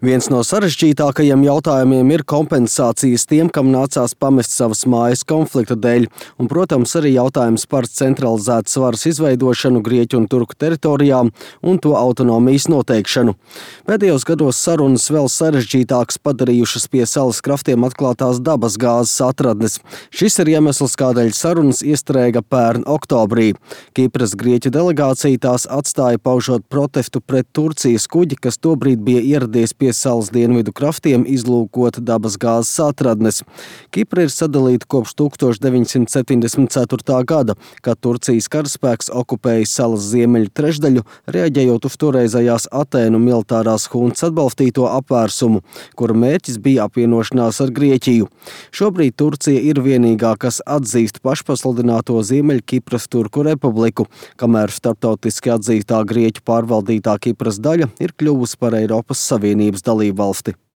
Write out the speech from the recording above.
Viens no sarežģītākajiem jautājumiem ir kompensācijas tiem, kam nācās pamest savas mājas konflikta dēļ, un, protams, arī jautājums par centralizētas varas izveidošanu Grieķu un Turku teritorijām un to autonomijas noteikšanu. Pēdējos gados sarunas vēl sarežģītākas padarījušas pie salas kraftiem atklātās dabas gāzes atradnes. Šis ir iemesls, kādēļ sarunas iestrēga pērn oktobrī. Kipras Grieķu delegācija tās atstāja paužot protestu pret Turcijas kuģi, kas tobrīd bija ieradies pie salas dienvidu kraftiem izlūkot dabas gāzes atradnes. Kipra ir sadalīta kopš 1974. gada, kad Turcijas karaspēks okupēja salas ziemeļu trešdaļu, reaģējot uz toreizējās Atēnu militārās huntas atbalstīto apvērsumu, kura mērķis bija apvienošanās ar Grieķiju. Šobrīd Turcija ir vienīgā, kas atzīst pašpasludināto Ziemeļkipras Turku republiku, kamēr starptautiski atzītā Grieķu pārvaldītā Kipras daļa ir kļuvusi par Eiropas Savienības dalībvalsti.